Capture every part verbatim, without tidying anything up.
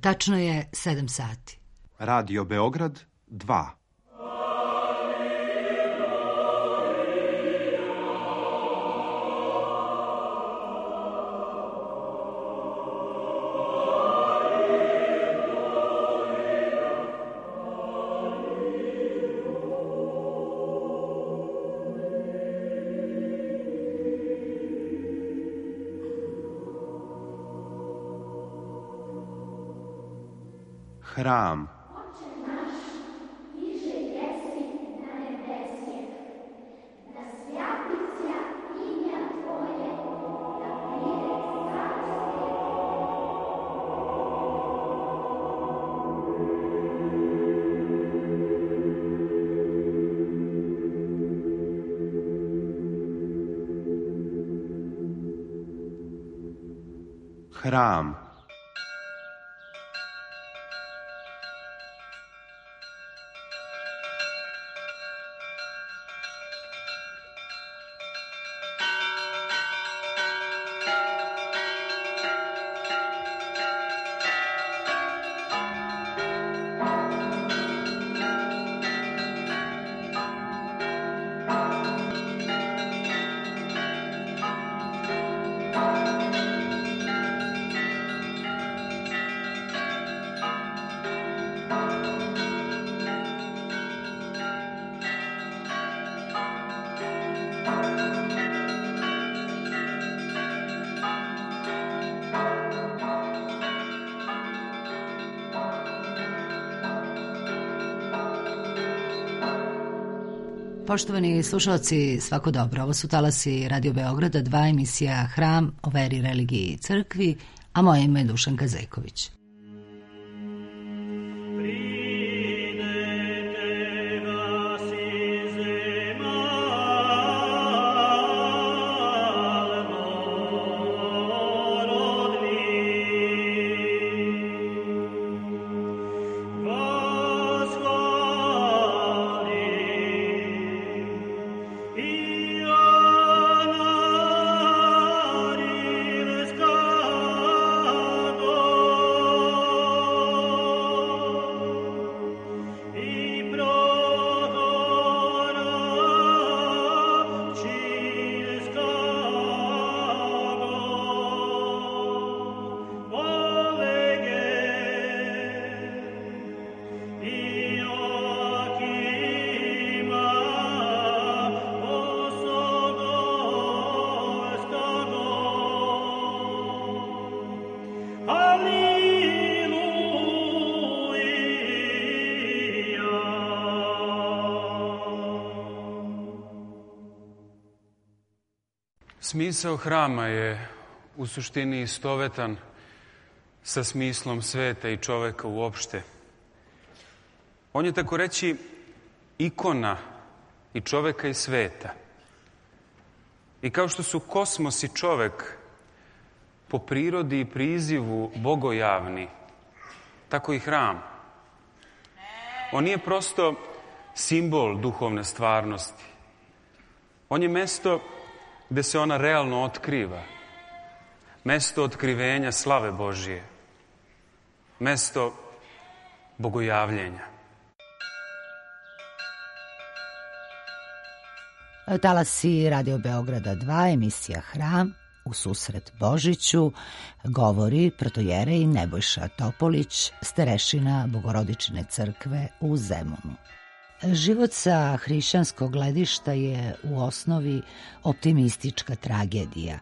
Tačno je sedam sati. Radio Beograd dva. Hram. Hram. Poštovani slušalci, svako dobro. Ovo su talasi Radio Beograda, dva, emisija Hram o veri, religiji i crkvi, a moje ime je Dušanka Zeković. Smisao hrama je u suštini istovetan sa smislom sveta i čoveka uopšte. On je, tako reći, ikona i čoveka i sveta. I kao što su kosmos i čovek po prirodi i prizivu bogojavni, tako i hram. On nije prosto simbol duhovne stvarnosti. On je mesto gde se ona realno otkriva. Mesto otkrivenja slave Božije. Mesto bogojavljenja. Talasi Radio Beograda dva, emisija Hram, u susret Božiću, govori protojerej Nebojša Topolić, starešina Bogorodične crkve u Zemunu. Život sa hrišćanskog gledišta je u osnovi optimistička tragedija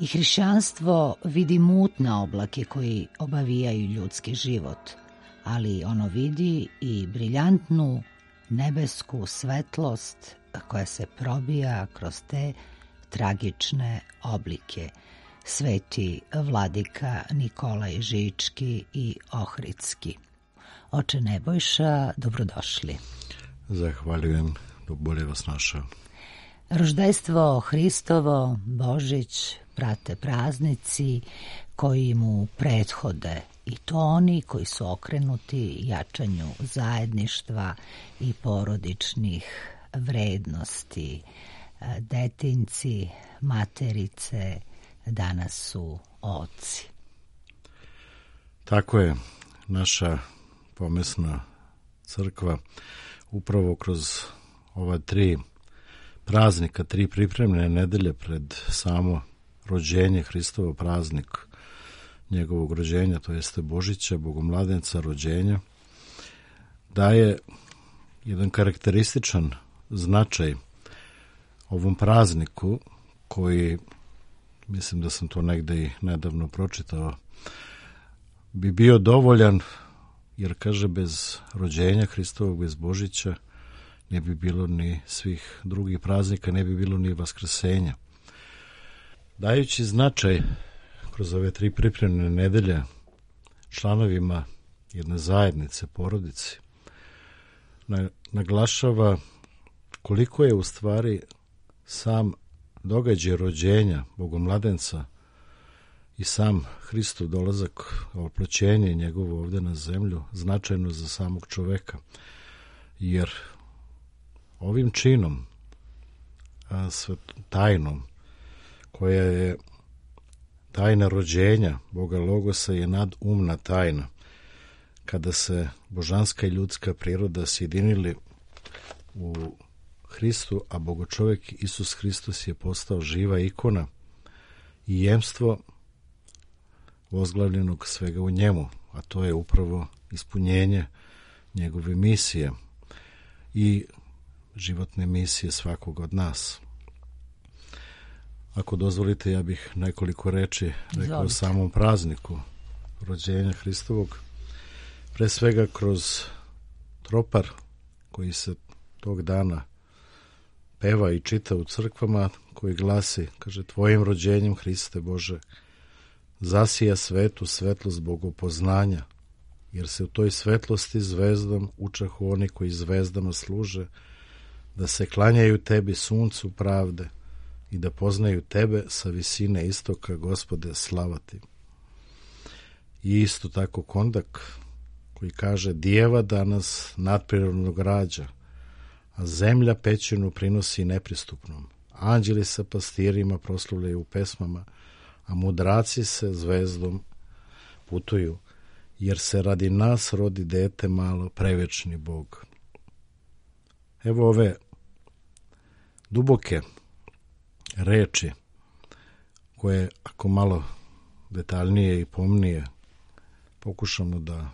i hrišćanstvo vidi mutne oblake koji obavijaju ljudski život, ali ono vidi i briljantnu nebesku svetlost koja se probija kroz te tragične oblike. Sveti vladika Nikolaj Žički i Ohridski. Oče Nebojša, dobrodošli. Zahvaljujem, bolje vas našao. Roždejstvo Hristovo, Božić, prate praznici koji mu prethode, i to oni koji su okrenuti jačanju zajedništva i porodičnih vrednosti. Detinci, materice, danas su oci. Tako je. naša pomesna crkva upravo kroz ova tri praznika, tri pripremne nedelje pred samo rođenje, Hristovo praznik njegovog rođenja, to jeste Božića, Bogomladenca, rođenja, daje jedan karakterističan značaj ovom prazniku koji, mislim da sam to negde i nedavno pročitao, bi bio dovoljan, jer kaže bez rođenja Hristovog, bez Božića ne bi bilo ni svih drugih praznika, ne bi bilo ni vaskrsenja. Dajući značaj kroz ove tri pripremne nedelje članovima jedne zajednice, porodici, naglašava koliko je u stvari sam događaj rođenja Bogomladenca i sam Hristov dolazak, oploćenje njegovo ovde na zemlju, značajno za samog čoveka. Jer ovim činom, a tajnom, koja je tajna rođenja Boga Logosa, je nadumna tajna. Kada se božanska i ljudska priroda sjedinili u Hristu, a Bogočovek Isus Hristos je postao živa ikona i jemstvo ozglavljenog svega u njemu, a to je upravo ispunjenje njegove misije i životne misije svakog od nas. Ako dozvolite, ja bih nekoliko reči rekao o samom prazniku rođenja Hristovog, pre svega kroz tropar koji se tog dana peva i čita u crkvama, koji glasi, kaže, tvojim rođenjem, Hriste Bože, zasija svetu svetlost bogopoznanja, jer se u toj svetlosti zvezdom učahu oni koji zvezdama služe, da se klanjaju tebi suncu pravde i da poznaju tebe sa visine istoka, Gospode, slava ti. I isto tako kondak koji kaže, dijeva danas nadprirodnog rađa, a zemlja pećinu prinosi nepristupnom. Anđeli sa pastirima proslavljaju u pesmama, a mudraci se zvezdom putuju, jer se radi nas rodi dete malo, prevečni Bog. Evo ove duboke reči koje, ako malo detaljnije i pomnije pokušamo da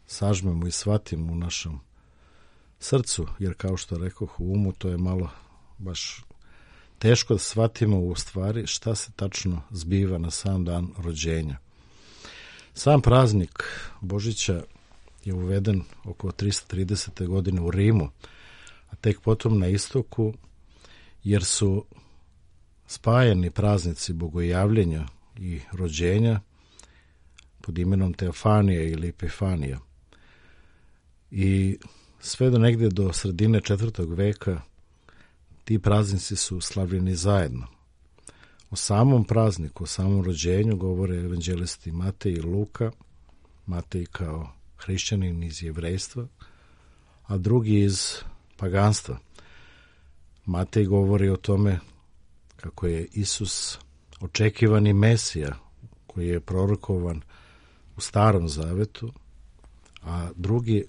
sažmemo i shvatimo u našem srcu, jer kao što rekoh, u umu to je malo baš teško da shvatimo u stvari šta se tačno zbiva na sam dan rođenja. Sam praznik Božića je uveden oko tristo tridesete godine u Rimu, a tek potom na istoku, jer su spajani praznici bogojavljenja i rođenja pod imenom Teofanija ili Epifanija. I sve do negdje do sredine četvrtog veka ti praznici su slavljeni zajedno. O samom prazniku, o samom rođenju govore evanđelisti Matej i Luka, Matej kao hrišćanin iz jevrejstva, a drugi iz paganstva. Matej govori o tome kako je Isus očekivani Mesija koji je prorokovan u Starom Zavetu, a drugi,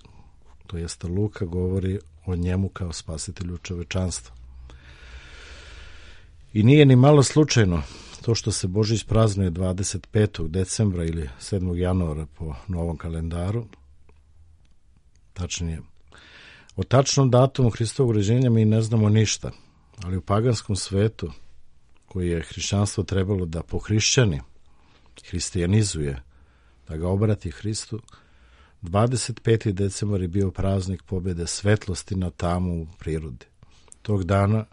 to jeste Luka, govori o njemu kao spasitelju čovečanstva. I nije ni malo slučajno to što se Božić praznuje dvadeset petog decembra ili sedmog januara po novom kalendaru. Tačnije, o tačnom datumu Hristovog rođenja mi ne znamo ništa, ali u paganskom svetu, koji je hrišćanstvo trebalo da pohrišćani, hristijanizuje, da ga obrati Hristu, dvadeset peti decembar je bio praznik pobjede svetlosti na tamu u prirodi. Tog dana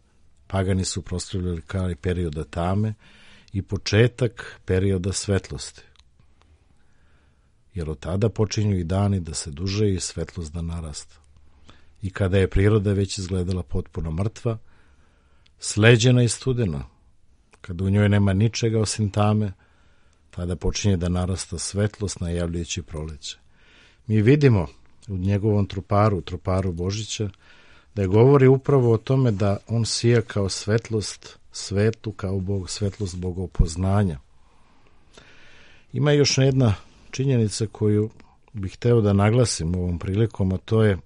pagani su proslavljali kraj perioda tame i početak perioda svetlosti. Jer od tada počinju i dani da se duže i svetlost da narasta. I kada je priroda već izgledala potpuno mrtva, sleđena i studena, kada u njoj nema ničega osim tame, tada počinje da narasta svetlost najavljujući proleće. Mi vidimo u njegovom truparu, truparu Božića, da je govori upravo o tome da on sija kao svetlost svetu, kao Bog, svetlost bogopoznanja. Ima još jedna činjenica koju bih hteo da naglasim ovom prilikom, a to je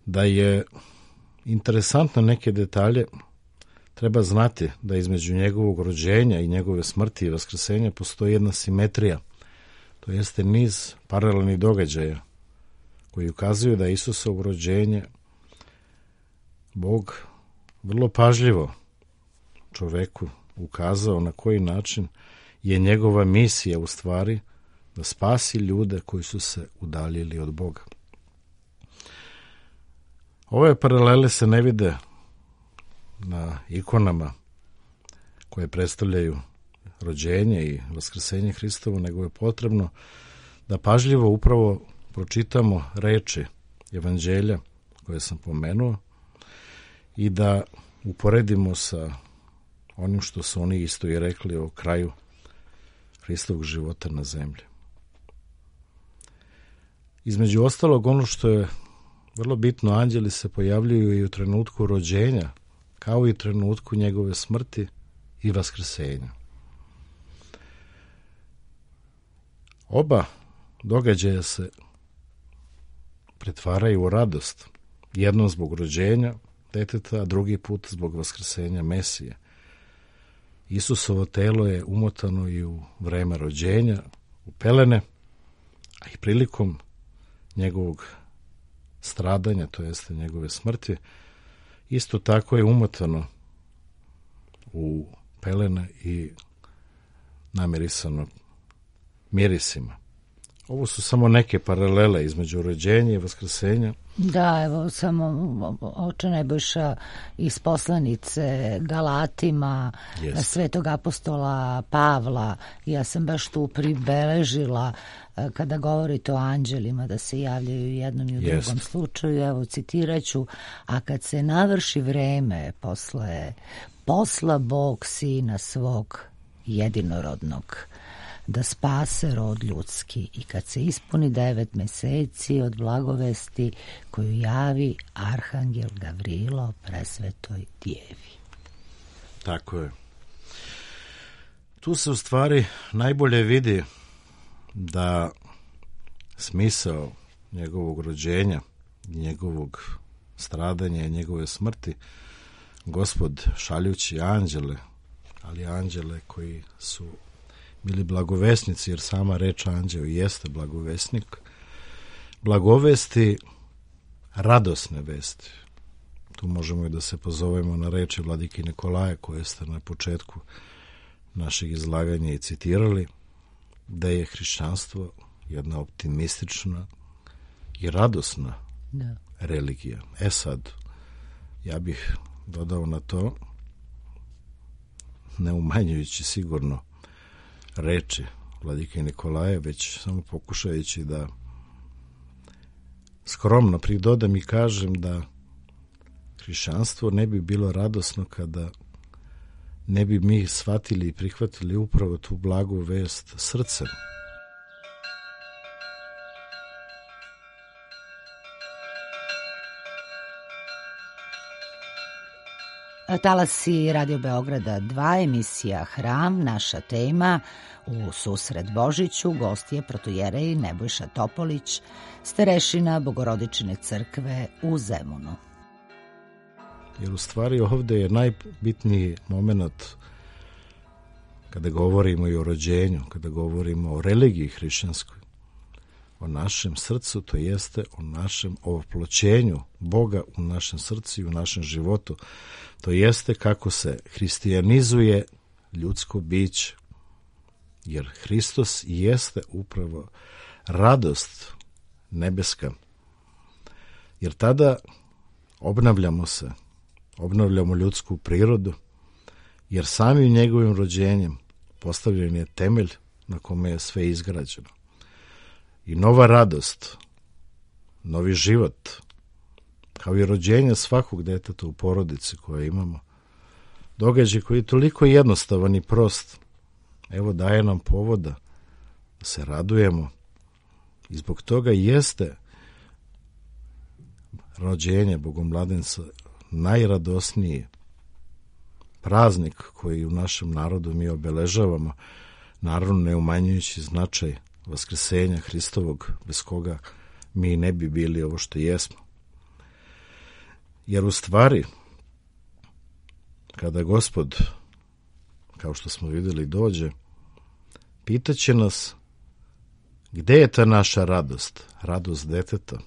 da je interesantno neke detalje treba znati da između njegovog rođenja i njegove smrti i vaskrsenja postoji jedna simetrija, to jeste niz paralelnih događaja koji ukazuju da Isusovo rođenje Bog vrlo pažljivo čoveku ukazao na koji način je njegova misija u stvari da spasi ljude koji su se udaljili od Boga. Ove paralele se ne vide na ikonama koje predstavljaju rođenje i vaskrsenje Hristovo, nego je potrebno da pažljivo upravo pročitamo reči evanđelja koje sam pomenuo i da uporedimo sa onim što su oni isto i rekli o kraju Hristovog života na zemlji. Između ostalog, ono što je vrlo bitno, anđeli se pojavljuju i u trenutku rođenja, kao i u trenutku njegove smrti i vaskrsenja. Oba događaja se pretvaraju u radost, jednom zbog rođenja deteta, a drugi put zbog vaskrsenja Mesije. Isusovo telo je umotano i u vreme rođenja, u pelene, a i prilikom njegovog stradanja, to jeste njegove smrti, isto tako je umotano u pelene i namirisano mirisima. Ovo su samo neke paralele između rođenja i vaskrsenja. Da, evo samo oče Nebojša iz poslanice Galatima, yes. Svetog apostola Pavla. Ja sam baš tu pribeležila kada govorite o anđelima da se javljaju u jednom i u yes. drugom slučaju. Evo citiraću, a kad se navrši vreme posle posla Bog sina svog jedinorodnog da spase rod ljudski i kad se ispuni devet meseci od blagovesti koju javi arhangel Gavrilo presvetoj djevi. Tako je. Tu se u stvari najbolje vidi da smisao njegovog rođenja, njegovog stradanja i njegove smrti Gospod šaljući anđele, ali anđele koji su bili blagovesnici, jer sama reč anđeo jeste blagovesnik, blagovesti radosne vesti. Tu možemo i da se pozovemo na reči vladike Nikolaja koje ste na početku našeg izlaganja i citirali, da je hrišćanstvo jedna optimistična i radosna da. religija. E sad, ja bih dodao na to, ne umanjujući sigurno reči vladike Nikolaja, već samo pokušajući da skromno pridodam i kažem da hrišćanstvo ne bi bilo radosno kada ne bi mi shvatili i prihvatili upravo tu blagu vest srcem. Talasi Radio Beograda dva, emisija Hram, naša tema u susret Božiću, gost je protojerej Nebojša Topolić, starešina Bogorodične crkve u Zemunu. Jer u stvari ovde je najbitniji moment kada govorimo i o rođenju, kada govorimo o religiji hrišćanskoj, o našem srcu, to jeste o našem oploćenju Boga u našem srcu i u našem životu. To jeste kako se hristijanizuje ljudsko biće. Jer Hristos jeste upravo radost nebeska. Jer tada obnavljamo se, obnavljamo ljudsku prirodu, jer samim njegovim rođenjem postavljen je temelj na kome je sve izgrađeno. I nova radost, novi život, kao i rođenje svakog deteta u porodici koje imamo, događaj koji je toliko jednostavan i prost, evo daje nam povoda da se radujemo i zbog toga jeste rođenje Bogomladenca najradosniji praznik koji u našem narodu mi obeležavamo, naravno ne umanjujući značaj vaskrsenja Hristovog, bez koga mi ne bi bili ovo što jesmo. Jer u stvari, kada Gospod, kao što smo vidjeli, dođe, pitaće nas gde je ta naša radost, radost deteta,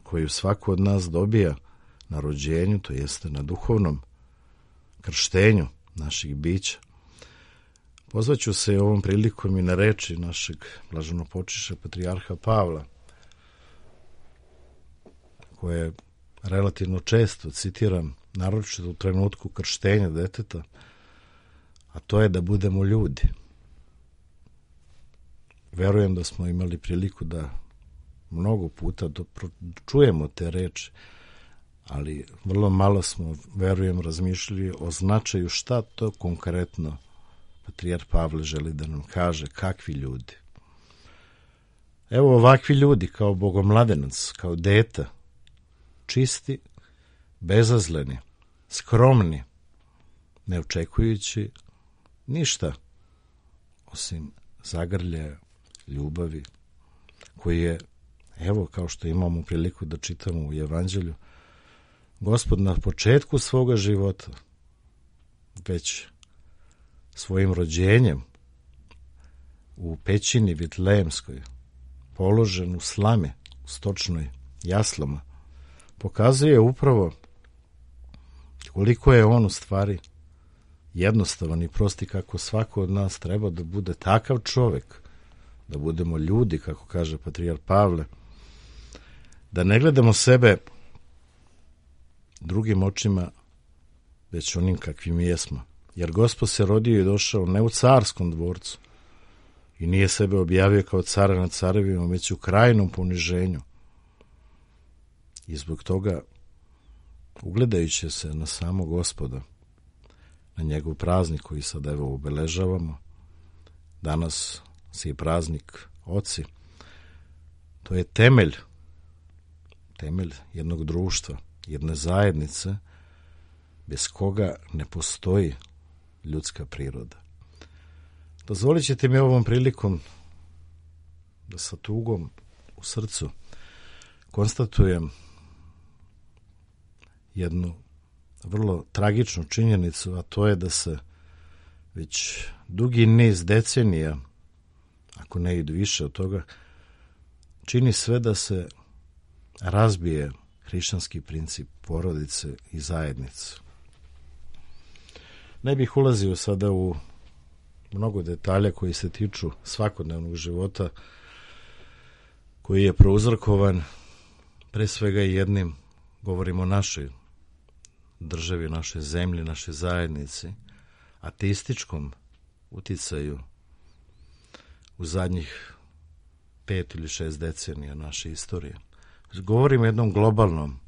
koju svako od nas dobija na rođenju, to jeste na duhovnom krštenju naših bića. Pozvaću se ovom prilikom i na reči našeg blaženopočivšeg patrijarha Pavla, koje relativno često citiram, naročito u trenutku krštenja deteta, a to je da budemo ljudi. Verujem da smo imali priliku da mnogo puta čujemo te reči, ali vrlo malo smo, verujem, razmišljali o značaju šta to konkretno patrijarh Pavle želi da nam kaže, kakvi ljudi. Evo ovakvi ljudi kao bogomladenac, kao deta, čisti, bezazleni, skromni, ne očekujući ništa osim zagrljaja, ljubavi, koji je, evo kao što imamo priliku da čitamo u Evanđelju, Gospod na početku svoga života, već svojim rođenjem u pećini Vitlejemskoj, položen u slame, u stočnoj jaslama, pokazuje upravo koliko je on u stvari jednostavan i prosti, kako svako od nas treba da bude takav čovek, da budemo ljudi, kako kaže patrijarh Pavle, da ne gledamo sebe drugim očima, već onim kakvim jesmo. Jer Gospod se rodio i došao ne u carskom dvorcu i nije sebe objavio kao cara nad carevima, već u krajnom poniženju. I zbog toga, ugledajući se na samog Gospoda, na njegov praznik koji sad evo obeležavamo, danas se i praznik Oci, to je temelj, temelj jednog društva, jedne zajednice, bez koga ne postoji ljudska priroda. Dozvolit ćete mi ovom prilikom da sa tugom u srcu konstatujem jednu vrlo tragičnu činjenicu, a to je da se već dugi niz decenija, ako ne i više od toga, čini sve da se razbije hrišćanski princip porodice i zajednice. Ne bih ulazio sada u mnogo detalja koji se tiču svakodnevnog života, koji je prouzrokovan pre svega jednim, govorimo o našoj državi, našoj zemlji, našoj zajednici, ateističkom uticaju u zadnjih pet ili šest decenija naše istorije. Govorimo o jednom globalnom,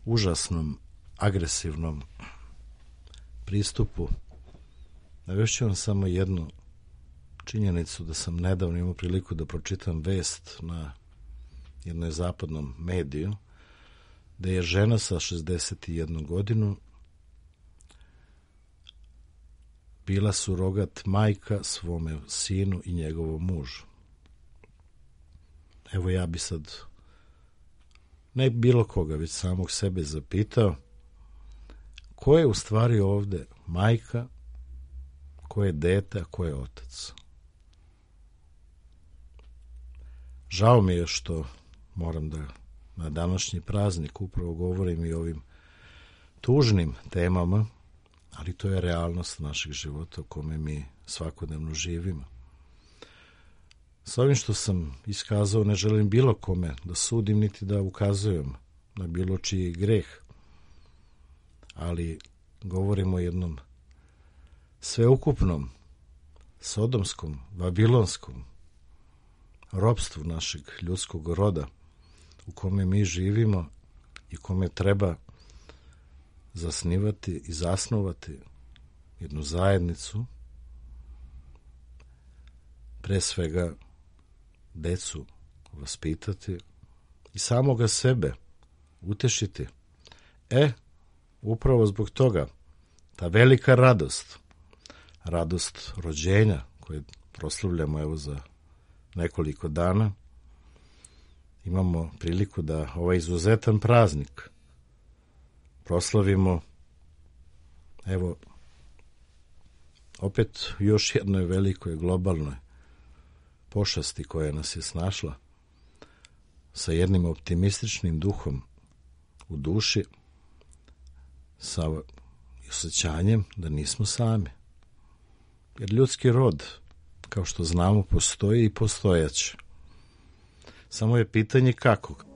užasnom, agresivnom pristupu. Navešću vam samo jednu činjenicu, da sam nedavno imao priliku da pročitam vest na jednoj zapadnom mediju, da je žena sa šezdeset jednom godinu bila surogat majka svome sinu i njegovom mužu. Evo ja bi sad ne bilo koga, već samog sebe zapitao, ko je u stvari ovde majka, ko je dete, a ko je otac. Žao mi je što moram da na današnji praznik upravo govorim i o ovim tužnim temama, ali to je realnost našeg života u kome mi svakodnevno živimo. S ovim što sam iskazao ne želim bilo kome da sudim niti da ukazujem na bilo čiji greh, ali govorimo o jednom sveukupnom, sodomskom, babilonskom ropstvu našeg ljudskog roda u kome mi živimo i kome treba zasnivati i zasnovati jednu zajednicu, pre svega decu vaspitati i samoga sebe utešiti. E, upravo zbog toga ta velika radost, radost rođenja koje proslavljamo evo za nekoliko dana, imamo priliku da ovaj izuzetan praznik proslavimo evo opet još jednoj velikoj globalnoj pošasti koja nas je snašla, sa jednim optimističnim duhom u duši, sa osjećanjem da nismo sami. Jer ljudski rod, kao što znamo, postoji i postojaće. Samo je pitanje kako.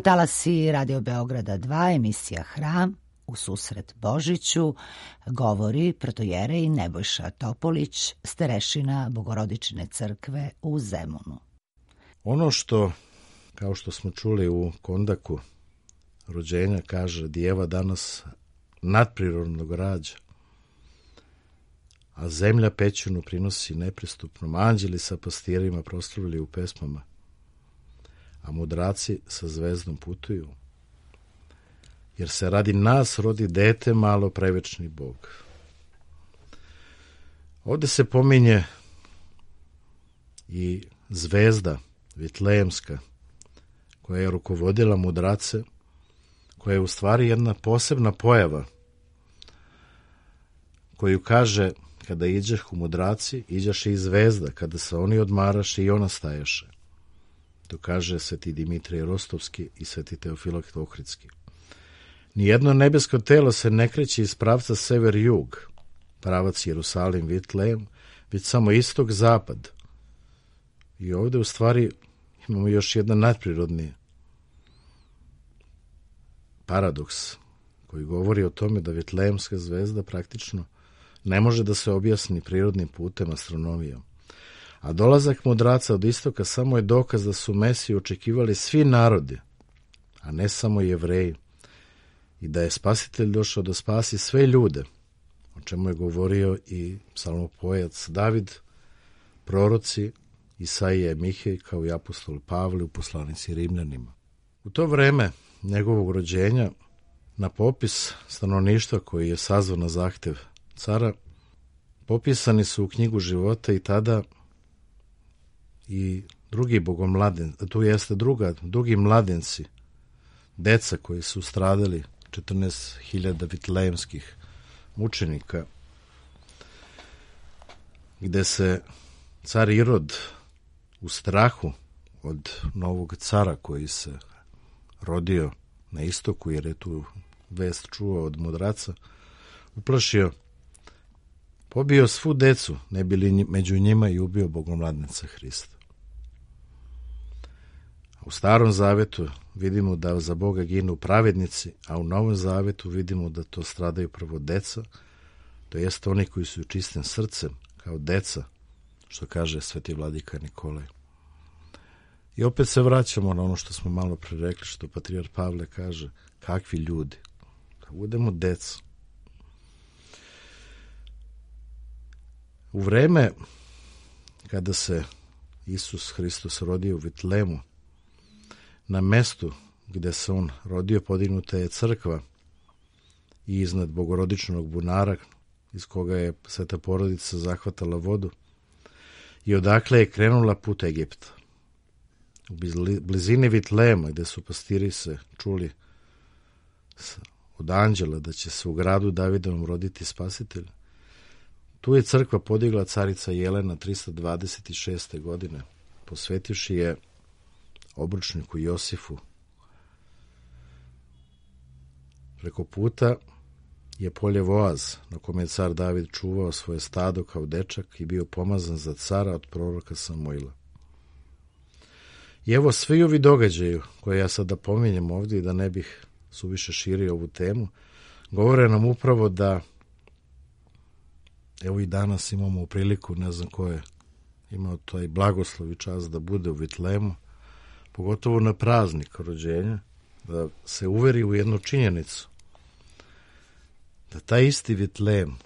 Talasi Radio Beograda dva, emisija Hram, u susret Božiću, govori protojerej Nebojša Topolić, starešina Bogorodične crkve u Zemunu. Ono što, kao što smo čuli u Kondaku rođenja, kaže Dijeva danas nadprirodnog rađa, a zemlja pećinu prinosi nepristupnom, anđeli sa pastirima proslavili u pesmama, a mudraci sa zvezdom putuju, jer se radi nas rodi dete malo, prevečni Bog. Ovde se pominje i zvezda Vitlejemska, koja je rukovodila mudrace, koja je u stvari jedna posebna pojava, koju kaže, kada iđeh u mudraci, iđaše i zvezda, kada se oni odmaraše i ona stajaše. To kaže sveti Dimitrije Rostovski i sveti Teofilakt Ohridski. Nijedno nebesko telo se ne kreće iz pravca sever-jug, pravac Jerusalim-Vitlejem, već samo istok-zapad. I ovde u stvari imamo još jedan nadprirodni paradoks koji govori o tome da Vitlejemska zvezda praktično ne može da se objasni prirodnim putem astronomijom. A dolazak mudraca od istoka samo je dokaz da su Mesiju očekivali svi narodi, a ne samo Jevreji, i da je Spasitelj došao da spasi sve ljude, o čemu je govorio i psalmopojac David, proroci Isaija i Mihej, kao i apostol Pavle u poslanici Rimljanima. U to vreme njegovog rođenja na popis stanovništva koji je sazvan na zahtev cara popisani su u knjigu života i tada i drugi bogomladen, tu jeste druga, drugi mladenci, deca koji su stradali, četrnaest hiljada vitlejemskih mučenika, gde se car Irod u strahu od novog cara koji se rodio na istoku, jer je tu vest čuo od mudraca, uplašio, pobio svu decu, ne bili među njima, i ubio bogomladnica Hrista. U Starom zavetu vidimo da za Boga ginu pravednici, a u Novom zavetu vidimo da to stradaju prvo deca, to jest oni koji su čistim srcem, kao deca, što kaže sveti vladika Nikolaj. I opet se vraćamo na ono što smo malo pre rekli, što patrijar Pavle kaže, kakvi ljudi, da budemo deca. U vreme kada se Isus Hristos rodio u Vitlemu, na mestu gde se on rodio podignuta je crkva i iznad bogorodičnog bunara iz koga je sveta porodica zahvatala vodu i odakle je krenula put Egipta. U blizini Vitlema, gde su pastiri se čuli od anđela da će se u gradu Davidovom roditi spasitelj, tu je crkva podigla carica Jelena trista dvadeset šeste. godine, posvetivši je obručniku Josifu. Preko puta je polje Voaz, na kome je car David čuvao svoje stado kao dečak i bio pomazan za cara od proroka Samuila. I evo svi ovi događaju, koje ja sada pominjem ovdje i da ne bih suviše širio ovu temu, govore nam upravo da evo i danas imamo priliku, ne znam ko je imao taj blagoslov i čast da bude u Vitlemu, pogotovo na praznik rođenja, da se uveri u jednu činjenicu, da taj isti Vitlem,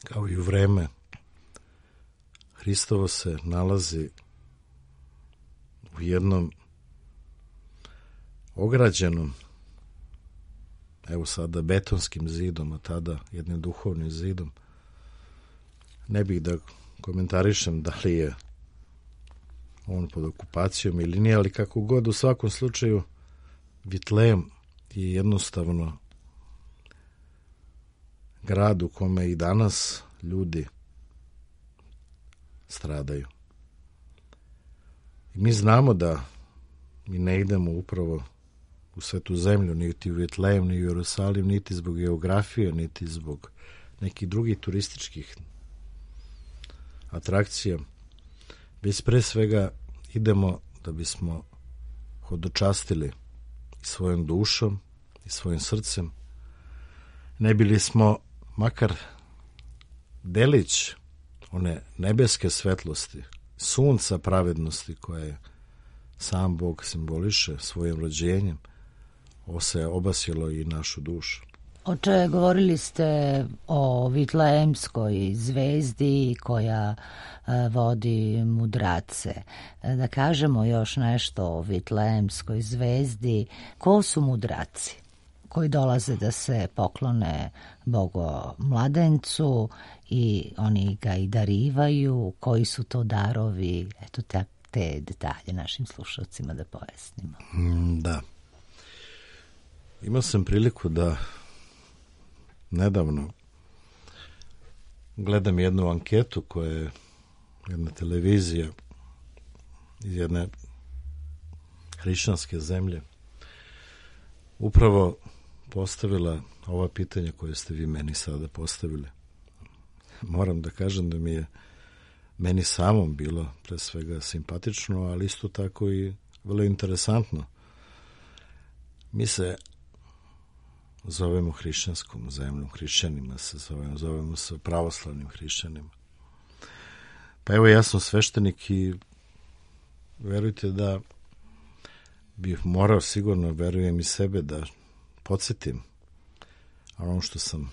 kao i u vreme Hristovo, se nalazi u jednom ograđenom, evo sada betonskim zidom, a tada jednim duhovnim zidom. Ne bih da komentarišem da li je on pod okupacijom ili nije, ali kako god, u svakom slučaju Vitlejem je jednostavno grad u kome i danas ljudi stradaju. I mi znamo da mi ne idemo upravo u svetu zemlju, niti u Vitlejem, ni u Jerusalim, niti zbog geografije, niti zbog nekih drugih turističkih atrakcija, već pre svega idemo da bismo hodočastili i svojom dušom i svojim srcem, ne bili smo makar delić one nebeske svetlosti, sunca pravednosti koje sam Bog simboliše svojim rođenjem, ovo se obasilo i našu dušu. Oče, govorili ste o Vitlejemskoj zvezdi koja vodi mudrace. Da kažemo još nešto o Vitlejemskoj zvezdi. Ko su mudraci koji dolaze da se poklone Bogo mladencu i oni ga i darivaju? Koji su to darovi? Eto te, te detalje našim slušalcima da pojasnimo. Da. Imao sam priliku da nedavno gledam jednu anketu koja je jedna televizija iz jedne hrišćanske zemlje upravo postavila ova pitanja koje ste vi meni sada postavili. Moram da kažem da mi je meni samom bilo pre svega simpatično, ali isto tako i vrlo interesantno. Mi se zovemo hrišćanskom zemljom, hrišćanima se zovemo, zovemo se pravoslavnim hrišćanima. Pa evo, ja sam sveštenik i verujte da bih morao sigurno, verujem i sebe, da podsjetim ono što sam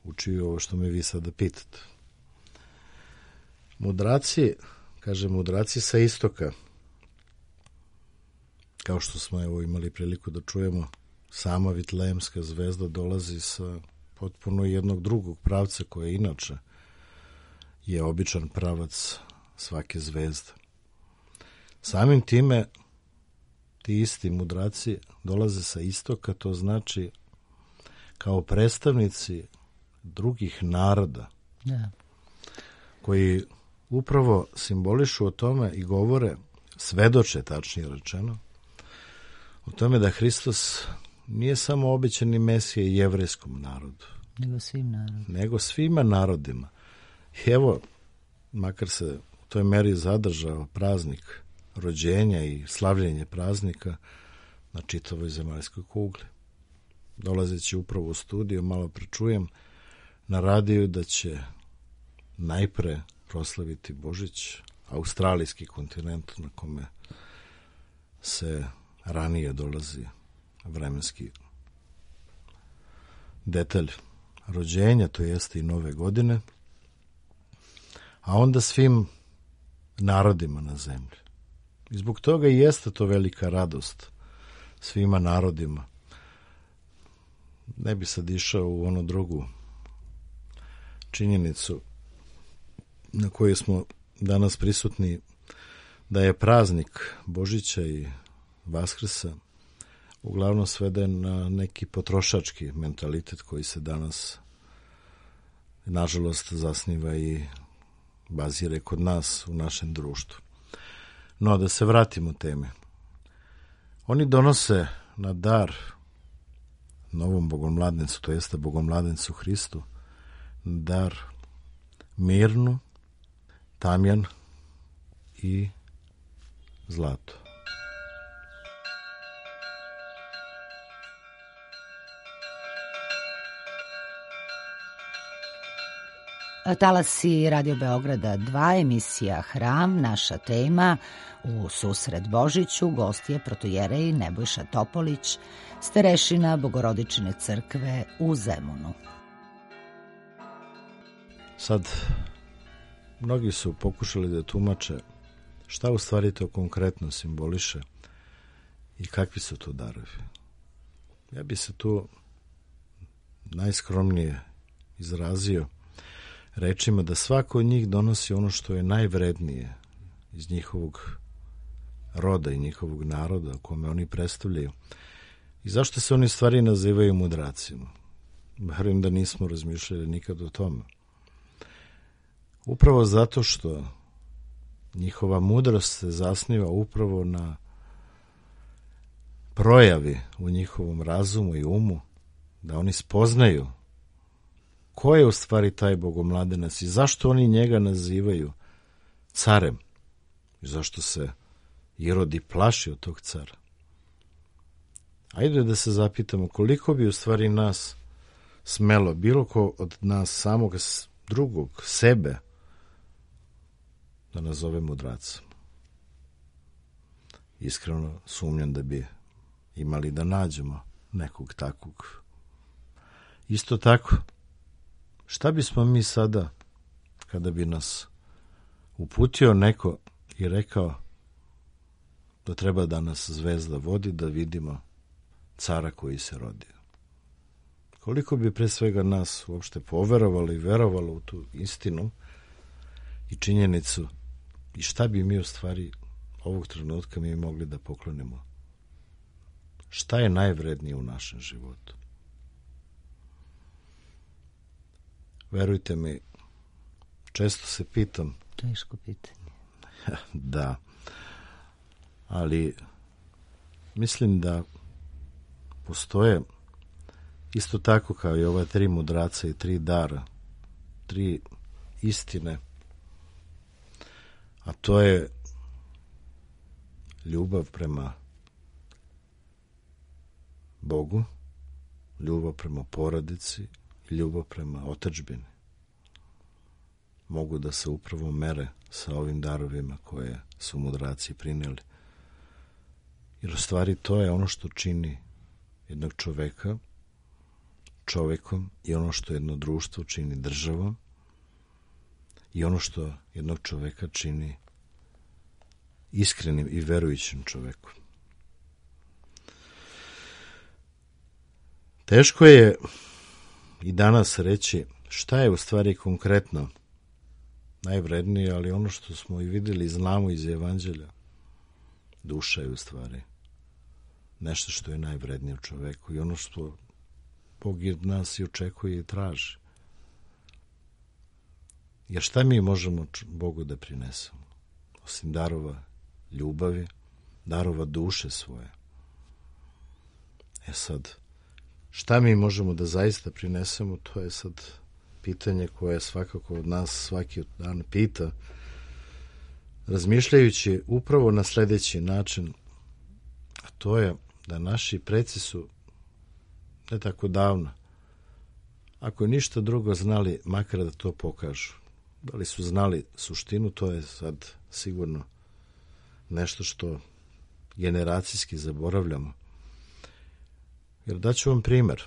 učio, ovo što me vi sada pitate. Mudraci, kaže mudraci sa istoka, kao što smo evo imali priliku da čujemo, sama Vitlejemska zvezda dolazi sa potpuno jednog drugog pravca koje inače je običan pravac svake zvezde. Samim time ti isti mudraci dolaze sa istoka, to znači kao predstavnici drugih naroda, da, koji upravo simbolišu o tome i govore, svedoče tačnije rečeno, o tome da Hristos nije samo obećani Mesija jevrejskom narodu, nego svim narodima. Nego svima narodima. I evo, makar se u toj meri zadržao praznik rođenja i slavljenje praznika na čitavoj zemaljskoj kugli. Dolazeći upravo u studiju, malo prečujem na radiju da će najpre proslaviti Božić australijski kontinent na kome se ranije dolazi vremenski detalj rođenja, to jeste i nove godine, a onda svim narodima na zemlji. I zbog toga i jeste to velika radost svima narodima. Ne bi sad išao u onu drugu činjenicu na kojoj smo danas prisutni, da je praznik Božića i Vaskrsa uglavnom sveden na neki potrošački mentalitet koji se danas nažalost zasniva i bazira kod nas u našem društvu. No, da se vratimo teme. Oni donose na dar novom bogomladencu, to jeste bogomladencu Hristu, dar mirnu, tamjan i zlato. Talasi Radio Beograda dva, emisija Hram, naša tema u susret Božiću, gost je protojerej Nebojša Topolić, starešina Bogorodičine crkve u Zemunu. Sad, mnogi su pokušali da tumače šta u stvari to konkretno simboliše i kakvi su to darovi. Ja bi se tu najskromnije izrazio rečima da svako od njih donosi ono što je najvrednije iz njihovog roda i njihovog naroda kome oni predstavljaju. I zašto se oni stvari nazivaju mudracima? Verujem da nismo razmišljali nikad o tome. Upravo zato što njihova mudrost se zasniva upravo na projavi u njihovom razumu i umu, da oni spoznaju ko je u stvari taj bogomladenac i zašto oni njega nazivaju carem i zašto se Irod i plaši od tog cara. Ajde da se zapitamo koliko bi u stvari nas smelo, bilo ko od nas samog drugog, sebe, da nazove mudracom. Iskreno sumnjam da bi imali da nađemo nekog takvog. Isto tako, šta bismo mi sada, kada bi nas uputio neko i rekao da treba da nas zvezda vodi, da vidimo cara koji se rodio? Koliko bi pre svega nas uopšte poverovalo i verovalo u tu istinu i činjenicu i šta bi mi u stvari ovog trenutka mi mogli da poklonimo? Šta je najvrednije u našem životu? Verujte mi, često se pitam. Teško pitanje. Da, ali mislim da postoje isto tako kao i ova tri mudraca i tri dara, tri istine, a to je ljubav prema Bogu, ljubav prema porodici i ljubav prema otadžbini. Mogu da se upravo mere sa ovim darovima koje su mudraci prineli. Jer u stvari to je ono što čini jednog čoveka čovekom i ono što jedno društvo čini državom i ono što jednog čoveka čini iskrenim i verujućim čovekom. Teško je i danas reći šta je u stvari konkretno najvrednije, ali ono što smo i vidjeli i znamo iz Evanđelja, duša je u stvari nešto što je najvrednije u čoveku i ono što Bog od nas i očekuje i traži. Jer šta mi možemo Bogu da prinesemo? Osim darova ljubavi, darova duše svoje. E sad, šta mi možemo da zaista prinesemo, to je sad pitanje koje svakako od nas svaki dan pita, razmišljajući upravo na sljedeći način, a to je da naši preci su ne tako davno, ako ništa drugo znali, makar da to pokažu. Da li su znali suštinu, to je sad sigurno nešto što generacijski zaboravljamo. Jer daću vam primjer.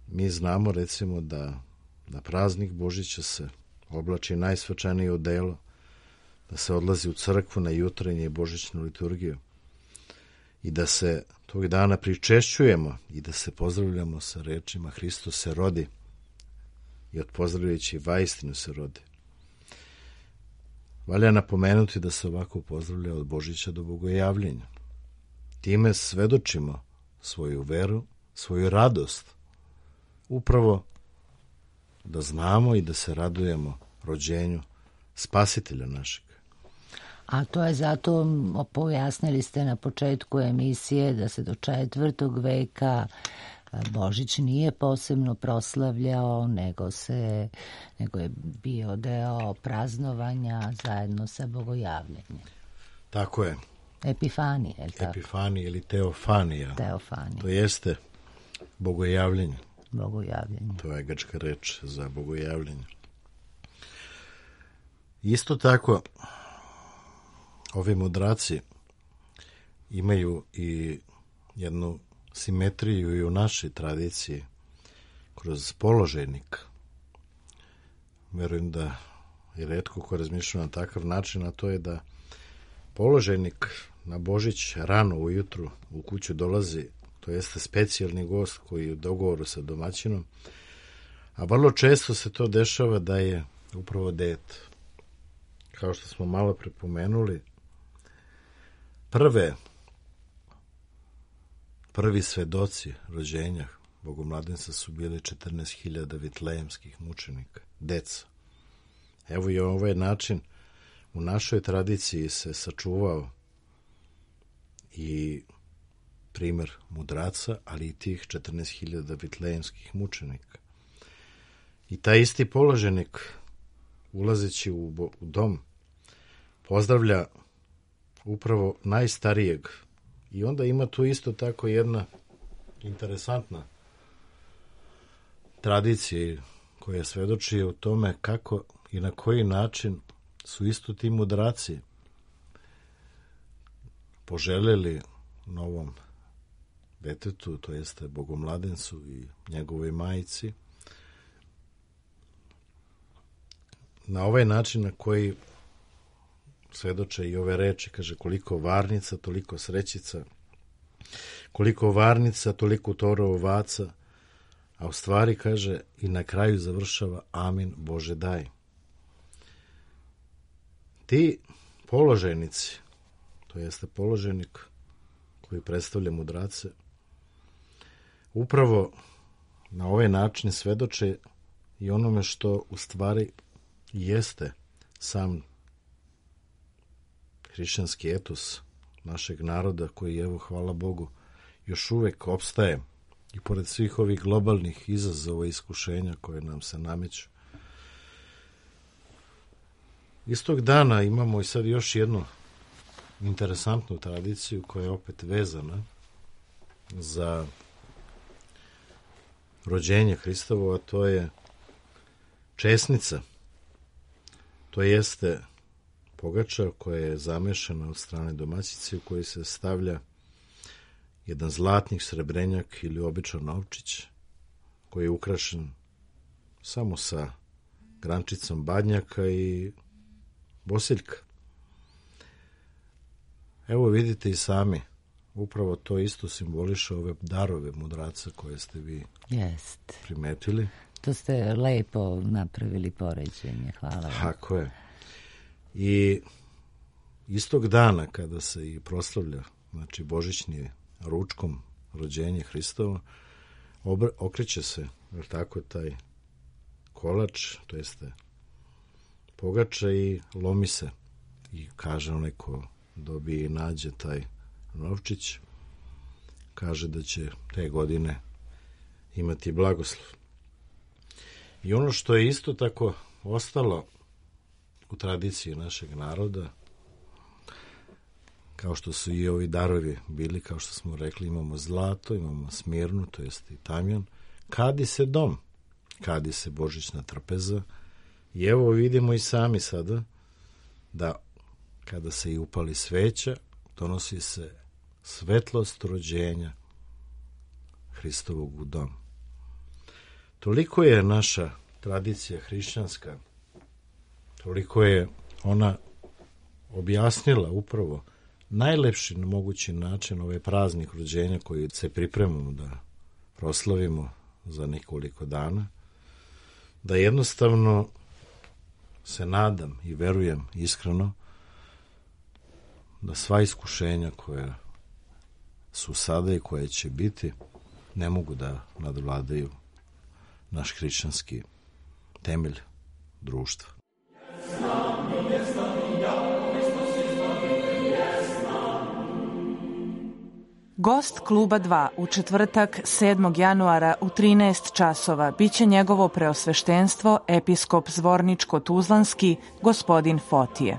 Mi znamo recimo da na praznik Božića se oblači najsvečanije odelo, da se odlazi u crkvu na jutrenje i božićnu liturgiju i da se tog dana pričešćujemo i da se pozdravljamo sa rečima Hristos se rodi i odpozdravljajući vaistinu se rodi. Valja napomenuti da se ovako pozdravlja od Božića do Bogojavljenja. Time svedočimo svoju veru, svoju radost, upravo da znamo i da se radujemo rođenju Spasitelja našeg. A to je zato, pojasnili ste na početku emisije, da se do četvrtog veka Božić nije posebno proslavljao, nego, se, nego je bio deo praznovanja zajedno sa Bogojavljenjem. Tako je. Epifanije, je li tako? Epifanija ili teofanija. Teofanija. To jeste bogojavljenje. Bogojavljenje. To je grčka reč za bogojavljenje. Isto tako, ovi mudraci imaju i jednu simetriju i u našoj tradiciji kroz položajnik. Verujem da je retko ko razmišlja na takav način, a to je da položajnik na Božić rano ujutru u kuću dolazi, to jeste specijalni gost koji je u dogovoru sa domaćinom, a vrlo često se to dešava da je upravo dete. Kao što smo malo prepomenuli, prve prvi svedoci rođenja Bogomladenca su bili četrnaest hiljada vitlejemskih mučenika, deca. Evo i ovaj način u našoj tradiciji se sačuvao i primjer mudraca, ali i tih četrnaest hiljada vitlejemskih mučenika. I taj isti položenik, ulazeći u, bo, u dom, pozdravlja upravo najstarijeg. I onda ima tu isto tako jedna interesantna tradicija koja svedoči o tome kako i na koji način su isto ti mudraci poželjeli novom detetu, to jeste Bogomladencu i njegovoj majici, na ovaj način na koji svedoče i ove reči, kaže koliko varnica, toliko srećica, koliko varnica, toliko toro ovaca, a u stvari kaže i na kraju završava amin Bože daj. Ti položajnici, to jeste položajnik koji predstavlja mudrace, upravo na ovaj način svedoče i onome što u stvari jeste sam hrišćanski etos našeg naroda koji, evo, hvala Bogu, još uvek opstaje i pored svih ovih globalnih izazova i iskušenja koje nam se nameću. Istog dana imamo i sad još jednu interesantnu tradiciju koja je opet vezana za rođenje Hristovo, a to je česnica. To jeste pogača koja je zamešana od strane domaćice u kojoj se stavlja jedan zlatnik, srebrenjak ili običan novčić koji je ukrašen samo sa grančicom badnjaka i bosiljka. Evo vidite i sami, upravo to isto simboliše ove darove mudraca koje ste vi Jest. primetili. To ste lepo napravili poređenje, hvala vam. Tako je. I istog dana kada se i proslavlja, znači božićni ručkom rođenje Hristovo, obr- okreće se, jer tako taj kolač, to jeste pogača i lomi se. I kaže onaj ko dobije i nađe taj novčić, kaže da će te godine imati blagoslov. I ono što je isto tako ostalo u tradiciji našeg naroda, kao što su i ovi darovi bili, kao što smo rekli, imamo zlato, imamo smirnu, to jest i tamjan, kadi se dom, kadi se božićna trpeza. I evo vidimo i sami sada da kada se i upali sveća, donosi se svetlost rođenja Hristovog u dom. Toliko je naša tradicija hrišćanska, toliko je ona objasnila upravo najlepši mogući način ovaj praznik rođenja koji se pripremamo da proslavimo za nekoliko dana, da jednostavno se nadam i verujem iskreno da sva iskušenja koja su sada i koje će biti ne mogu da nadvladaju naš hrišćanski temelj društva. Gost Kluba dva u četvrtak sedmog januara u trinaest časova biće njegovo preosveštenstvo episkop Zvorničko-Tuzlanski gospodin Fotije.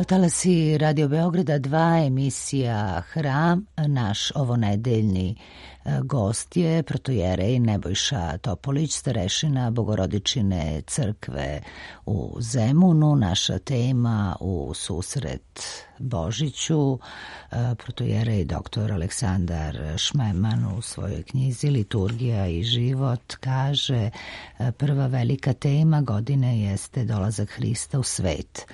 Talasi Radio Beograda dva, emisija Hram. Naš ovonedeljni gost je protojerej Nebojša Topolić, starešina Bogorodičine crkve u Zemunu. Naša tema u susret Božiću. Protojerej doktor Aleksandar Šmeman u svojoj knjizi Liturgija i život kaže: prva velika tema godine jeste dolazak Hrista u svet.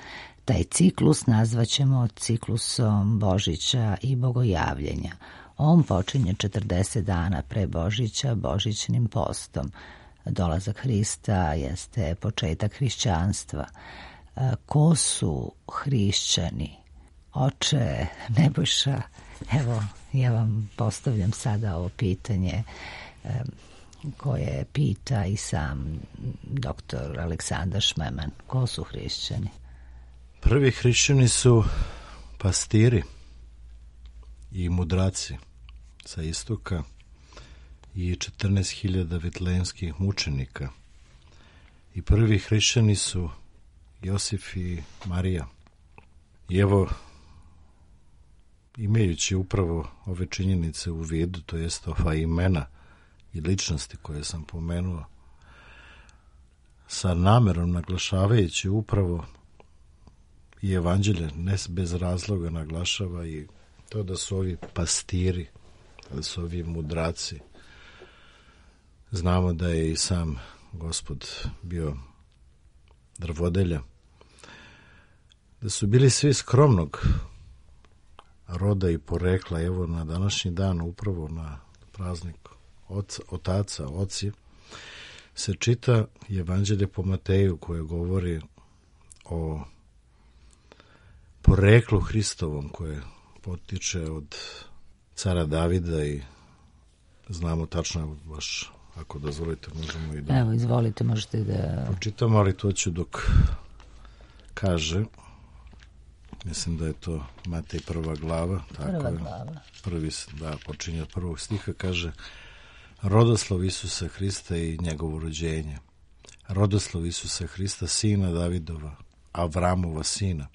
Taj ciklus nazvaćemo ciklusom Božića i Bogojavljenja. On počinje četrdeset dana pre Božića božićnim postom. Dolazak Hrista jeste početak hrišćanstva. Ko su hrišćani? Oče Nebojša, evo ja vam postavljam sada ovo pitanje koje pita i sam doktor Aleksandar Šmeman. Ko su hrišćani? Prvi hrišćani su pastiri, i mudraci sa istoka i četrnaest hiljada vitlejemskih mučenika. I prvi hrišćani su Josif i Marija. I evo, imajući upravo ove činjenice u vidu, to jest ova imena i ličnosti koje sam pomenuo, sa namerom naglašavajući upravo i evanđelje, ne bez razloga naglašava i to da su ovi pastiri, da su ovi mudraci. Znamo da je i sam Gospod bio drvodelja, da su bili svi skromnog roda i porekla. Evo na današnji dan, upravo na praznik oca, otaca, oci, se čita evanđelje po Mateju koje govori o poreklu Hristovom koje potiče od cara Davida i znamo tačno, baš ako dozvolite možemo i da... Evo, izvolite, možete da... Počitamo, ali to ću dok kaže, mislim da je to Matej prva glava, tako prva je, glava. Prvi, da, počinje od prvog stiha, kaže: Rodoslov Isusa Hrista i njegovo rođenje. Rodoslov Isusa Hrista, sina Davidova, Avramova sina.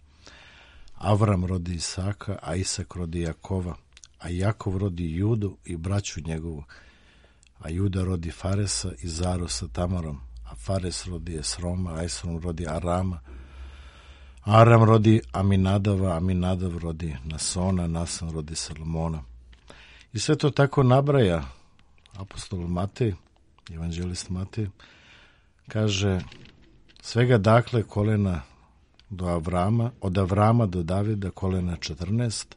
Avram rodi Isaka, a Isak rodi Jakova, a Jakov rodi Judu i braću njegovu, a Juda rodi Faresa i Zaru sa Tamarom, a Fares rodi Esroma, a Esrom rodi Arama, Aram rodi Aminadava, Aminadav rodi Nasona, Nason rodi Salomona. I sve to tako nabraja apostol Matej, evanđelist Matej, kaže svega dakle kolena do Avrama, od Avrama do Davida kolena četrnaest,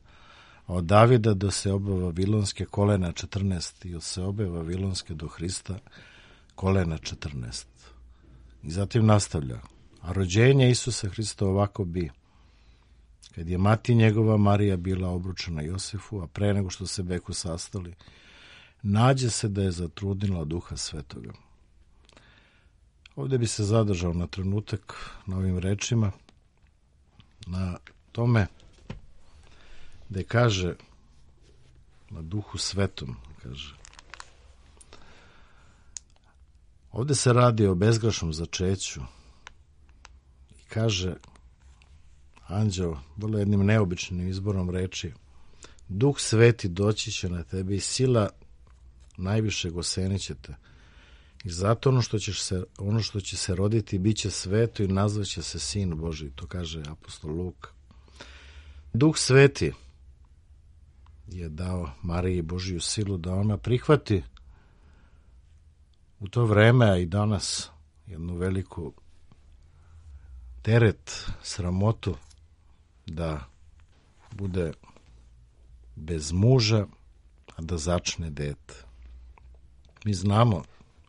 a od Davida do Seobe Vavilonske kolena četrnaest i od Seobe Vavilonske do Hrista kolena četrnaest. I zatim nastavlja: a rođenje Isusa Hrista ovako bi: kad je mati njegova Marija bila obručena Josefu, a pre nego što se beku sastali, nađe se da je zatrudnila Duha Svetoga. Ovdje bi se zadržao na trenutak na ovim rečima, na tome da kaže na Duhu Svetom, kaže. Ovdje se radi o bezgrešnom začeću i kaže anđeo vrlo jednim neobičnim izborom reči: Duh Sveti doći će na tebe i sila najvišeg osenit će te. I zato ono što, ćeš se, ono što će se roditi bit će sveto i nazvaće se Sin Božji. To kaže apostol Luka. Duh Sveti je dao Mariji Božiju silu da ona prihvati u to vreme, a i danas, jednu veliku teret, sramotu da bude bez muža, a da začne dete. Mi znamo,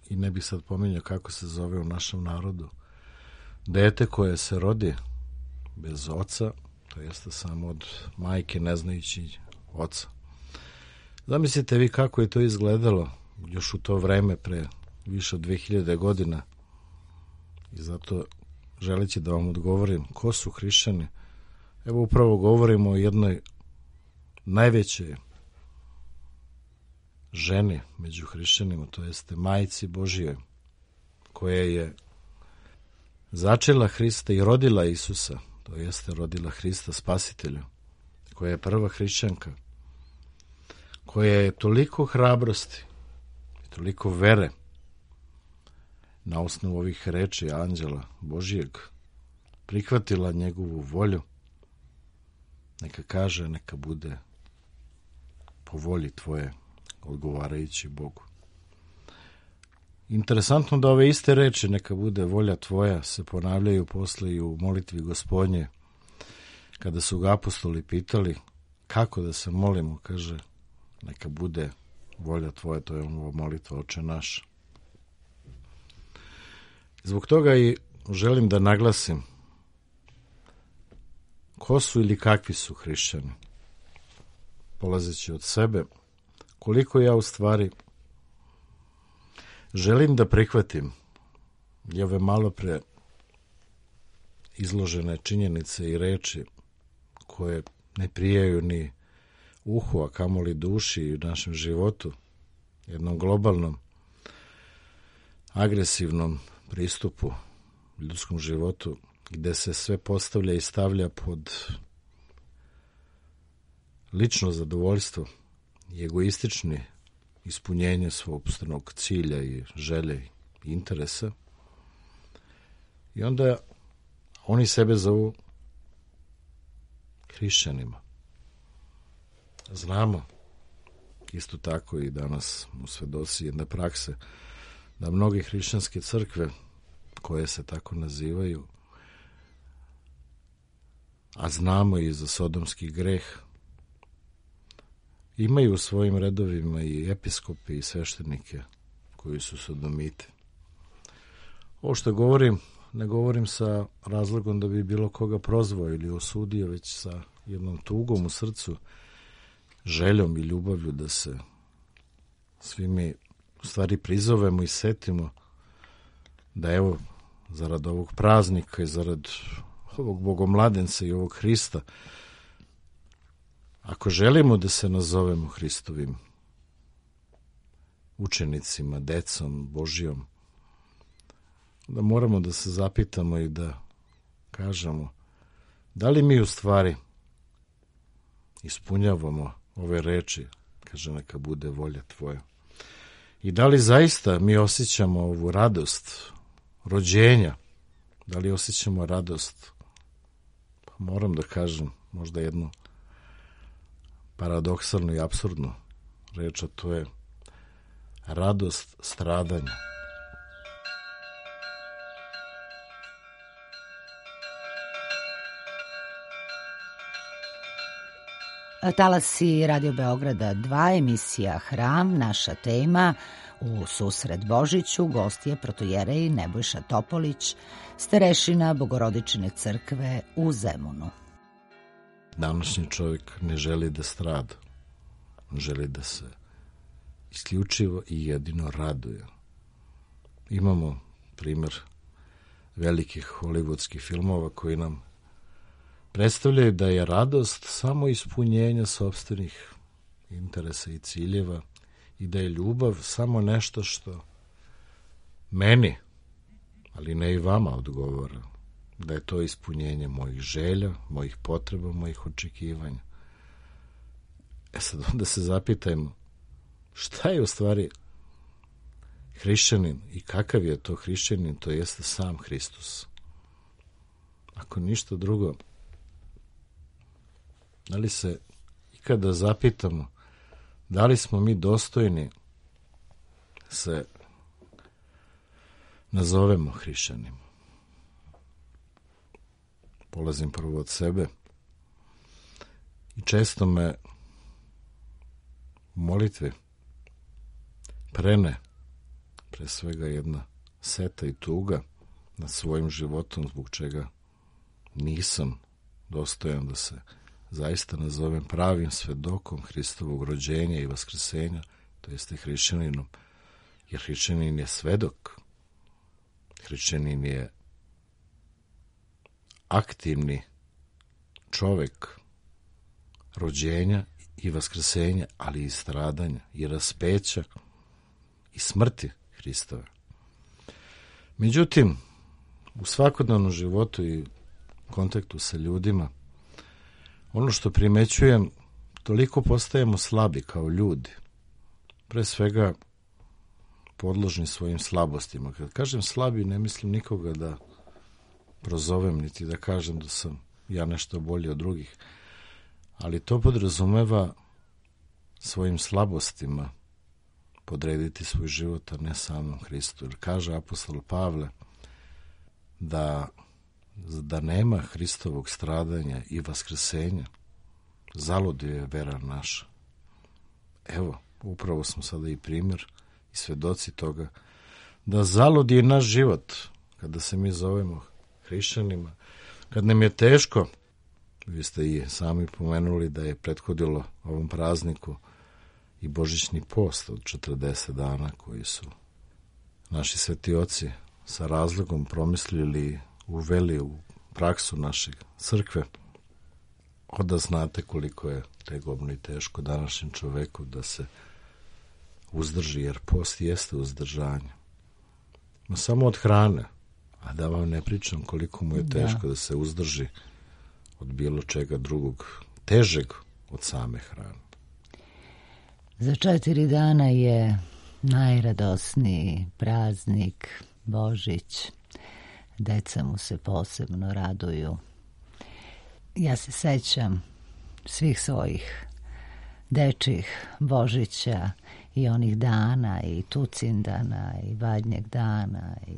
i ne bih sad pominjao kako se zove u našem narodu, dete koje se rodi bez oca, to jeste samo od majke ne znajući oca. Zamislite vi kako je to izgledalo još u to vreme pre više od dve hiljade godina, i zato želeći da vam odgovorim ko su hrišćani, evo upravo govorimo o jednoj najvećoj ženi među hrišćanima, to jeste majci Božijoj, koja je začela Hrista i rodila Isusa, to jeste rodila Hrista Spasitelja, koja je prva hrišćanka, koja je toliko hrabrosti i toliko vere na osnovu ovih reči anđela Božijeg prihvatila njegovu volju, neka kaže, neka bude po volji tvoje, odgovarajući Bogu. Interesantno da ove iste reči, neka bude volja tvoja, se ponavljaju posle i u molitvi Gospodnje. Kada su ga apostoli pitali kako da se molimo, kaže, neka bude volja tvoja, to je ova molitva Oče naš. Zbog toga i želim da naglasim ko su ili kakvi su hrišćani, polazeći od sebe, koliko ja u stvari želim da prihvatim i ove malo pre izložene činjenice i reči koje ne prijaju ni uhu, a kamoli duši i našem životu, jednom globalnom, agresivnom pristupu ljudskom životu, gde se sve postavlja i stavlja pod lično zadovoljstvo i egoistični ispunjenje svog cilja i želje i interesa. I onda oni sebe zovu hrišćanima. Znamo isto tako i danas u svedoci jedne prakse da mnoge hrišćanske crkve koje se tako nazivaju, a znamo i za sodomski greh, imaju u svojim redovima i episkope i sveštenike koji su sodomiti. Ovo što govorim, ne govorim sa razlogom da bi bilo koga prozvao ili osudio, već sa jednom tugom u srcu, željom i ljubavlju da se svi mi u stvari prizovemo i setimo da evo, zarad ovog praznika i zarad ovog bogomladenca i ovog Hrista, ako želimo da se nazovemo Hristovim učenicima, decom Božijom, da moramo da se zapitamo i da kažemo da li mi u stvari ispunjavamo ove reči, kaže neka bude volja tvoja, i da li zaista mi osjećamo ovu radost rođenja, da li osjećamo radost, pa moram da kažem možda jednu paradoksalnu i apsurdnu reč, a to je radost stradanja. Talasi Radio Beograda dva, emisija Hram, naša tema u susret Božiću, gost je protojerej Nebojša Topolić, starešina Bogorodične crkve u Zemunu. Današnji čovjek ne želi da strada, želi da se isključivo i jedino raduje. Imamo primjer velikih hollywoodskih filmova koji nam predstavljaju da je radost samo ispunjenje sopstvenih interesa i ciljeva i da je ljubav samo nešto što meni, ali ne i vama, odgovara. Da je to ispunjenje mojih želja, mojih potreba, mojih očekivanja. E sad onda se zapitajmo šta je u stvari hrišćanin i kakav je to hrišćanin, to jeste sam Hristos. Ako ništa drugo, da li se ikada zapitamo da li smo mi dostojni se nazovemo hrišćanima? Polazim prvo od sebe i često me u molitvi prene pre svega jedna seta i tuga nad svojim životom, zbog čega nisam dostojan da se zaista nazovem pravim svedokom Hristovog rođenja i vaskrsenja, to jeste hrišćaninom, jer hrišćanin je svedok, hrišćanin je aktivni čovek rođenja i vaskrsenja, ali i stradanja i raspeća i smrti Hristove. Međutim, u svakodnevnom životu i kontaktu sa ljudima, ono što primećujem, toliko postajemo slabi kao ljudi. Pre svega podložni svojim slabostima. Kad kažem slabi, ne mislim nikoga da prozovem, niti da kažem da sam ja nešto bolji od drugih, ali to podrazumeva svojim slabostima podrediti svoj život, a ne samom Hristu. Jer kaže apostol Pavle da da nema Hristovog stradanja i vaskrsenja, zalud je vera naša. Evo, upravo smo sada i primjer i svedoci toga da zalud je naš život kada se mi zovemo hrišćanima, kad nam je teško. Vi ste i sami pomenuli da je prethodilo ovom prazniku i božićni post od četrdeset dana koji su naši sveti oci sa razlogom promislili, uveli u praksu naše crkve. onda znate koliko je tegobno i teško današnjem čoveku da se uzdrži, jer post jeste uzdržanje. Ma samo od hrane, a da vam ne pričam koliko mu je teško da, da se uzdrži od bilo čega drugog, težeg od same hrane. Za četiri dana je najradosniji praznik Božić. Deca mu se posebno raduju. Ja se sećam svih svojih dečjih Božića i onih dana i Tucindana i Badnjeg dana i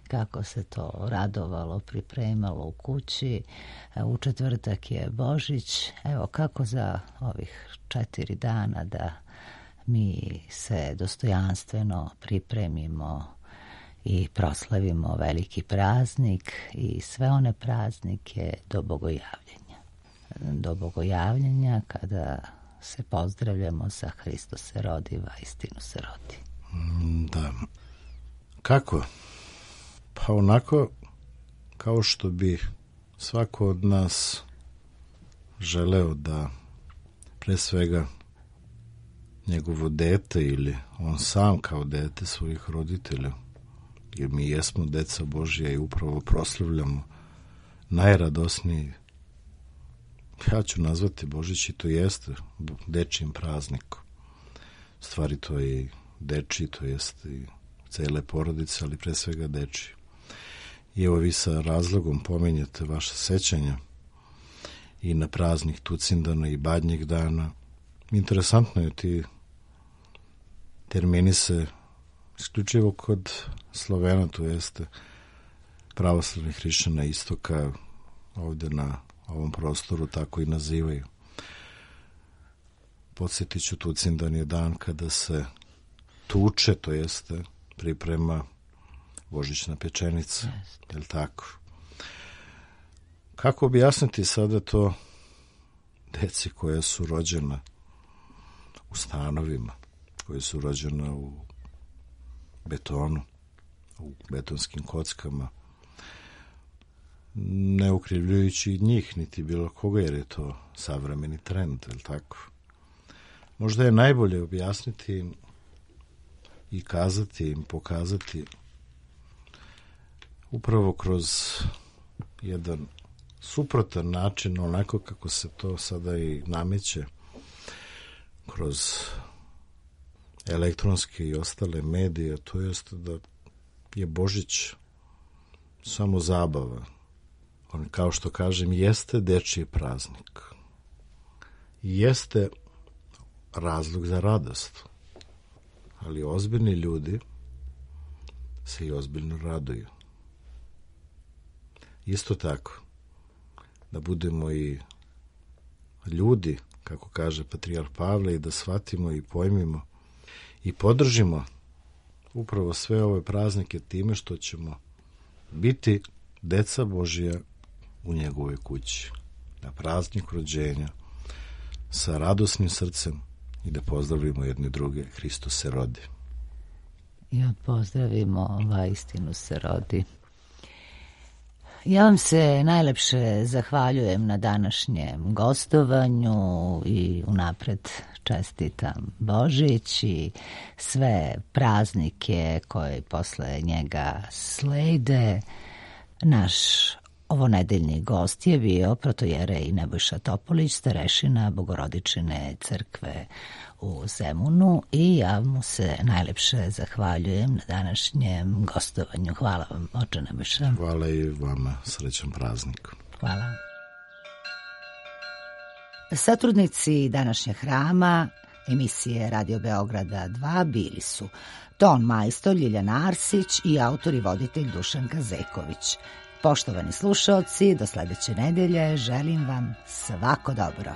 kako se to radovalo, pripremalo u kući. U četvrtak je Božić. Evo kako za ovih četiri dana da mi se dostojanstveno pripremimo i proslavimo veliki praznik i sve one praznike do bogojavljenja. Do bogojavljenja kada se pozdravljamo sa Hristos se rodi, vaistinu se rodi. Da. Kako? Pa onako kao što bi svako od nas želeo da pre svega njegovo dete ili on sam kao dete svojih roditelja, jer mi jesmo deca Božja i upravo proslavljamo najradosniji, ja ću nazvati Božić i to jeste dečijim praznikom. Stvari to je i dečiji, to jeste i cele porodice, ali pre svega dečiji. I evo vi sa razlogom pominjete vaše sećanja i na praznik Tucindana i Badnjeg dana. Interesantno je, ti termini se isključivo kod Slovena, to jeste pravoslavnih hrišćana istoka, ovdje na ovom prostoru tako i nazivaju. Podsjetit ću, Tucindan je dan kada se tuče, to jeste priprema božićna pečenica, je li tako? Kako objasniti sada to deci koja su rođena u stanovima, koja su rođena u betonu, u betonskim kockama, ne ukrivljujući njih, niti bilo koga, jer je to savremeni trend, je li tako? Možda je najbolje objasniti im i kazati im, pokazati upravo kroz jedan suprotan način, onako kako se to sada i nameće, kroz elektronske i ostale medije, to jest da je Božić samo zabava. On, kao što kažem, jeste dečiji praznik. Jeste razlog za radost. Ali ozbiljni ljudi se i ozbiljno raduju. Isto tako, da budemo i ljudi, kako kaže patrijarh Pavle, i da shvatimo i pojmimo i podržimo upravo sve ove praznike time što ćemo biti deca Božja u njegovoj kući. Na praznik rođenja sa radosnim srcem i da pozdravimo jedni druge, Hristos se rodi. I pozdravimo, vaistinu se rodi. Ja vam se najlepše zahvaljujem na današnjem gostovanju i unapred čestitam Božić i sve praznike koje posle njega slede. Naš ovonedeljni gost je bio protojerej Nebojša Topolić, starešina Bogorodičine crkve u Zemunu, i ja mu se najlepše zahvaljujem na današnjem gostovanju. Hvala vam, oče Nebojša. Hvala i vama, srećan praznik. Hvala. Satrudnici današnjeg hrama emisije Radio Beograda dva bili su ton majstor Ljiljana Arsić i autor i voditelj Dušan Kazeković. Poštovani slušaoci, do sledeće nedelje želim vam svako dobro.